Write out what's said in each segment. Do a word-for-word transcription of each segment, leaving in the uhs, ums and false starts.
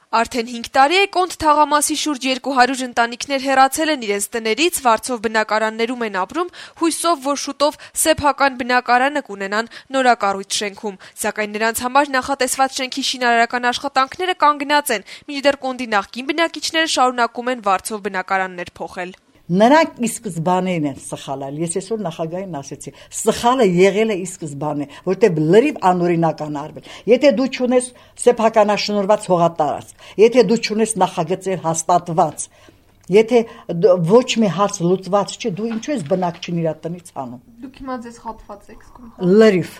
Արդեն հինգ տարի է Կոնդ թաղամասի շուրջ երկու հարյուր ընտանիքներ հեռացել են իրենց տներից, վարձով բնակարաններում են ապրում, հույսով, որ շուտով սեփական բնակարանը կունենան նորակառույց շենքում, սակայն նրանց համար նախատեսված շենքի շինարարական աշխատանքները կանգնած են, մինչդեռ Կոնդի նախկին բնակիչները շարունակում են վարձով բնակարաններ փոխել։ Նրանք ի սկզբանեն են սխալել, ես այսօր նախագահին ասեցի, սխալը եղել է ի սկզբանե, որտեղ լրիվ անօրինական արվել։ Եթե դու չունես սեփականաշնորհված հողատարածք, եթե դու չունես նախագծեր հաստատված, եթե ոչ մի հարց լուծված չի, դու ինչու ես բնակչին իր տնից անում։ Դուք հիմա ձեզ խաբված եք զգում։ Լրիվ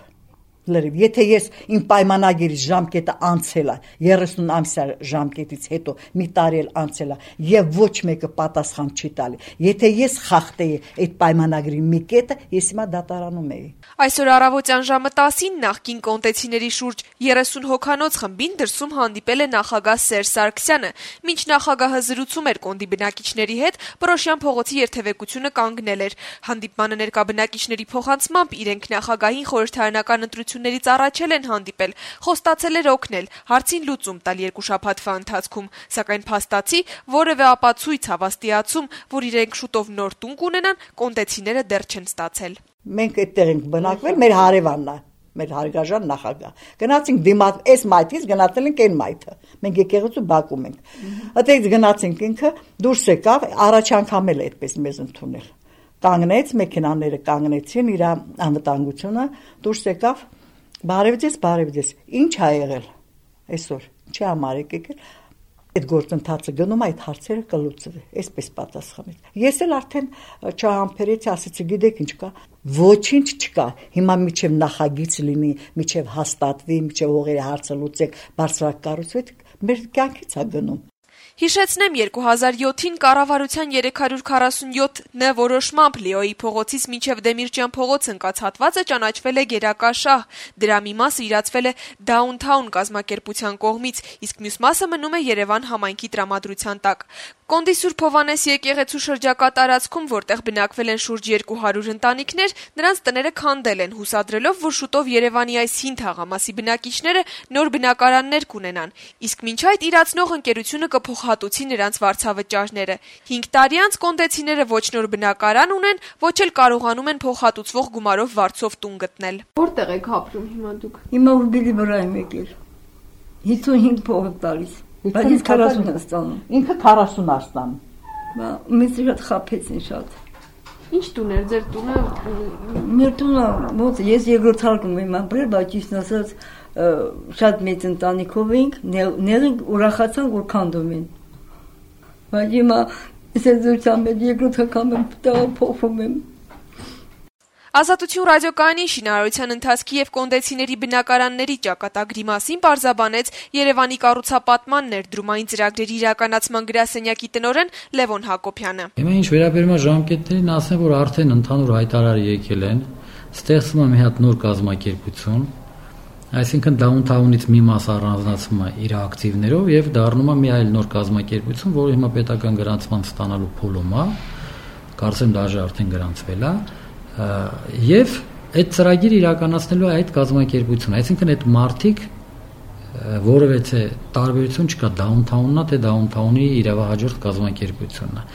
Լրիվ, եթե ես իմ պայմանագիրի ժամկետը անցել է, երեսուն ամսյա ժամկետից հետո մի տարի էլ անցել է, եւ ոչ մեկը պատասխան չի տալի, եթե ես խախտեի այդ պայմանագրի մի կետը, ես հիմա դատարանում էի։ Այսօր առավոտյան ժամը տասին նախկին կոնտեցիների շուրջ երեսուն հոգանոց խմբին դրսում հանդիպել է նախագահ Սերժ Սարգսյանը, մինչ նախագահը զրուցում էր Կոնդի բնակիչների հետ, Պռոշյան փողոցի երթևեկությունը կանգնել էր։ Հանդիպմանը ներկա բնակիչների փոխանցմամբ իրենք նախագահին խորհրդարանական ընտրություններից առաջել են հանդիպել, խոստացել էր օգնել, հարցին լուծում տալ երկու շաբաթվա ընթացքում, սակայն փաստացի որևէ ապացույց հավաստիացում, որ իրենք շուտով նոր տուն կունենան, կոնդեցիները դեռ չեն ստացել։ Մենք այդտեղ ենք բնակվել, մեր հարևանն է, մեր հարգաժան նախագահ։ Գնացինք դիմաց, այս մայթից գնացել ենք այն մայթը։ Մենք եկեղեցու բակում ենք։ Այդտեղից գնացինք ինքը դուրս եկավ, առաջ անգամ էլ այդպես մեզ ընդունել։ Կանգնեց, մեքենաները կանգնեցին, իր անվտանգությունը դուրս եկավ, բարևձեզ, բարևձեզ։ Ինչ ա եղել այսօր։ Չի համար եք եկել։ Այդ գործընթացը գնում այդ հարցերը կլուծվի, այսպես պատասխանեց։ Ես էլ արդեն չհամբերեցի, ասեցի, գիտեք ինչ կա, ոչինչ չկա։ Հիմա միջև նախագիծ լինի, միջև հաստատվի, միջև հողերի հարցը լուծեք, բարձրակառուցվի, մեր կյանքից է գնում։ Հիշեցնեմ, երկու հազար յոթին կառավարության երեք հարյուր քառասունյոթ Ն որոշմամբ Լեոյի փողոցից մինչև Դեմիրճյան փողոց ընկած հատվածը ճանաչվել է գերակաշահ, դրա մի մասը իրացվել է Downtown կազմակերպության կողմից, իսկ մյուս մասը մնում է Երևան համայնքի տրամադրության տակ։ Կոնդի Սուրբ Հովհաննես եկեղեցու շրջակա տարածքում, որտեղ բնակվել են շուրջ երկու հարյուր ընտանիքներ, նրանց տները քանդել են, հուսադրելով, որ շուտով Երևանի այս հին թաղամասի բնակիչները նոր բնակարաններ կունենան, իսկ մինչ այդ իրացնող ընկերությունը կփոխհատուցի նրանց վարձավճարները։ Հինգ տարի անց կոնդեցիները ոչ նոր բնակարան ունեն, ոչ էլ կարողանում են փոխհատուցվող գումարով վարձով տուն գտնել։ Որտեղ եք ապրում հիմա դուք։ Հիմա Ուրբիլի վրա եմ եկել։ հիսունհինգ փող տալիս։ Բայց քառասուն է ստանում։ Ինքը քառասուն է ստանում։ Մեզ շատ խաբեցին շատ։ Ինչ տուն էր ձեր տունը։ Մեր տունը ոնց ես երկրորդ հարկում եմ ապրել, բայց ճիշտ ասած շատ մեծ ընտանիքով ենք, նեղենք ուրախացանք, որ քանդում են։ Բայց հիմա ես զորությամբ երկրորդ հարկում եմ, փոխվում եմ։ Ազատություն ռադիոկայանի շինարարության ընթացքի եւ կոնդեցիների բնակարանների ճակատագրի մասին պարզաբանեց Երևանի կառուցապատման ներդրումային ծրագրերի իրականացման գրասենյակի տնօրեն Լևոն Հակոբյանը։ Հիմա ինչ վերաբերում է ժամկետներին, ասեմ, որ արդեն ընդհանուր հայտարար եկել են, ստեղծվում է մի հատ նոր կազմակերպություն, այսինքն Downtown-ից մի մաս առանձնացվում է իր ակտիվներով եւ դառնում է մի այլ նոր կազմակերպություն, որը հիմա պետական գրանցման ստանալու փուլում է, կարծեմ դաժե արդեն գրանցվել է։ Եվ այդ ծրագիրը իրականացնելու է այդ կազմակերպությունը, այսինքն այդ մարտիկ որևէ տարբերություն չկա Downtown-ն, թե Downtown-ի իրավահաջորդ կազմակերպությունն է։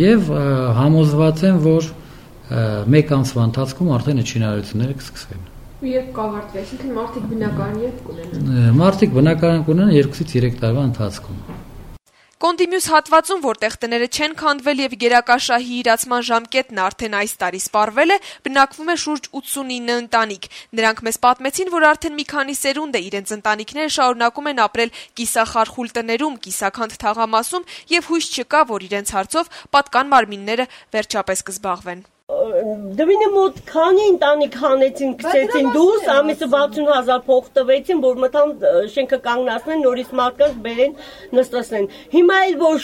Եվ համոզված եմ, որ մեկ ամսվա ընթացքում արդեն այդ շինարարությունները կսկսվեն։ Երբ կավարտվի, այսինքն մարտիկ բնակարան երբ կունենան։ Մարտիկ բնակարան կունենան երկուսից երեք տարվա ընթացքում։ Կոնդի մյուս հատվածում, որտեղ տները չեն քանդվել եւ գերակաշահի իրացման ժամկետն արդեն այս տարի սպառվել է, բնակվում է շուրջ ութսունինը ընտանիք։ Նրանք մեզ պատմեցին, որ արդեն մի քանի սերունդ է իրենց ընտանիքները շարունակում են ապրել կիսախարխուլ տներում, կիսաքանդ թաղամասում եւ հույս չկա, որ իրենց հարցով պատկան մարմինները վերջապես կզբաղվեն։ Դվինը մոտ քանի ընտանիք հանեցին, գցեցին դուրս, ամիսը վաթսուն հազար փող տվեցին, որ մտան շենքը կանգնացնեն, նորից մարդկանց բերեն, նստացնեն։ Հիմա էլ ոչ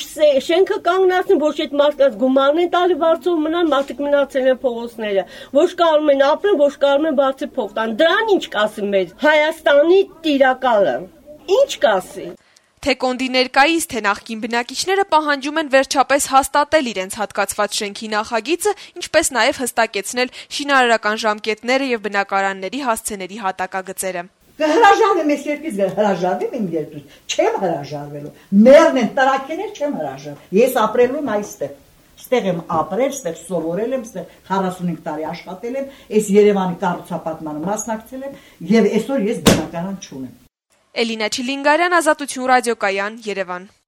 շենքը կանգնացնեն, ոչ այդ մարդկանց գումարն են տալի վարձով մնան, մարդիկ մնացել են փողոցները, ոչ կարում են ապրեն, ոչ կարում են բացի փող տան։ Դրան ինչ կասի մեր Հայաստանի տիրակալը։ Ինչ կասի։ Թե Կոնդի ներկայիս, թե նախկին բնակիչները պահանջում են վերջապես հաստատել իրենց հատկացված շենքի նախագիծը, ինչպես նաև հստակեցնել շինարարական ժամկետները եւ բնակարանների հասցեների հատակագծերը։ Կհրաժարվեմ ես երկից հրաժարվեմ իմ երկրից, չեմ հրաժարվելու, մերն են տրակեներ չեմ հրաժարվել, ես ապրելու եմ այստեղ, ստեղ եմ ապրել, ստեղ սովորել եմ, ստեղ քառասունհինգ տարի աշխատել եմ, այս Երևանի կառուցապատմանը մասնակցել եմ եւ այսօր ես բնակարան չունեմ։ Էլինա Չիլինգարյան, Ազատություն ռադիոկայան, Երևան։